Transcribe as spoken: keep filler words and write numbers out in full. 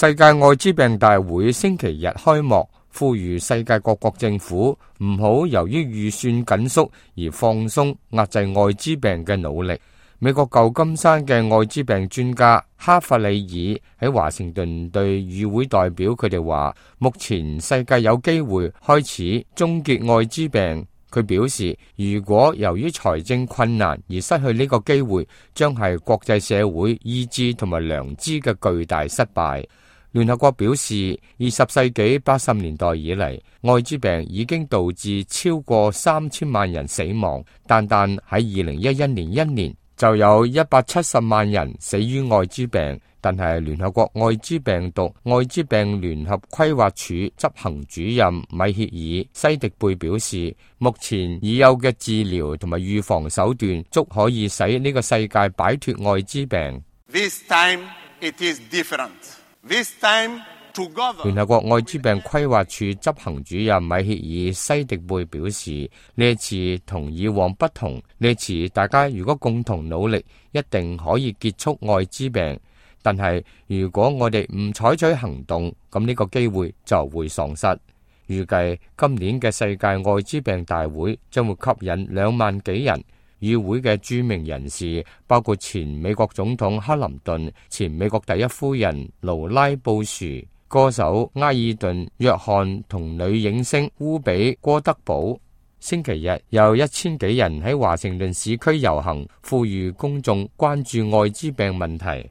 世界艾滋病大會星期日開幕，呼籲世界各國政府唔好由於預算緊縮而放鬆壓制艾滋病嘅努力。美國舊金山嘅艾滋病專家哈弗里爾喺華盛頓對與會代表佢哋話，目前世界有機會開始終結艾滋病。佢表示，如果由於財政困難而失去呢個機會，將係國際社會意志同埋良知嘅巨大失敗。聯合國表示，二十世紀八十年代以嚟，艾滋病已經導致超過三千萬人死亡，單單喺二零一一年一年就有一百七十萬人死於艾滋病。但係聯合國艾滋病毒艾滋病聯合規劃署執行主任米歇爾西迪貝表示，目前已有嘅治療同埋預防手段足可以使呢個世界擺脫艾滋病。This time it is different. This time together. 聯合國艾滋病規劃署執行主任米歇爾西迪貝表示，呢一次同以往不同，呢一次大家如果共同努力，一定可以結束艾滋病。但係如果我哋唔採取行動，咁呢個機會就會喪失。預計今年嘅世界艾滋病大會將會吸引兩萬幾人。與會嘅著名人士包括前美國總統克林頓、前美國第一夫人勞拉布殊、歌手埃爾頓約翰同女影星烏比戈德堡。星期日有一千幾人喺華盛頓市區遊行，呼籲公眾關注艾滋病問題。